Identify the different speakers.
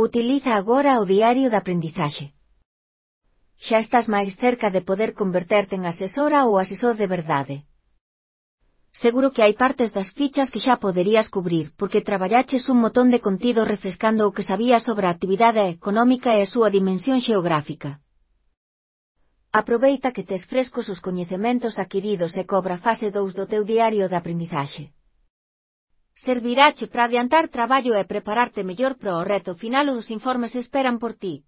Speaker 1: Utiliza agora o diario de aprendizaxe. Xa estás máis cerca de poder converterte en asesora ou asesor de verdade. Seguro que hai partes das fichas que xa poderías cubrir, porque traballaches un montón de contido refrescando o que sabías sobre a actividade económica e a súa dimensión xeográfica. Aproveita que tes frescos os coñecementos adquiridos e cobra fase 2 do teu diario de aprendizaxe. Servirache para adiantar traballo e prepararte mellor para o reto final. Os informes esperan por ti.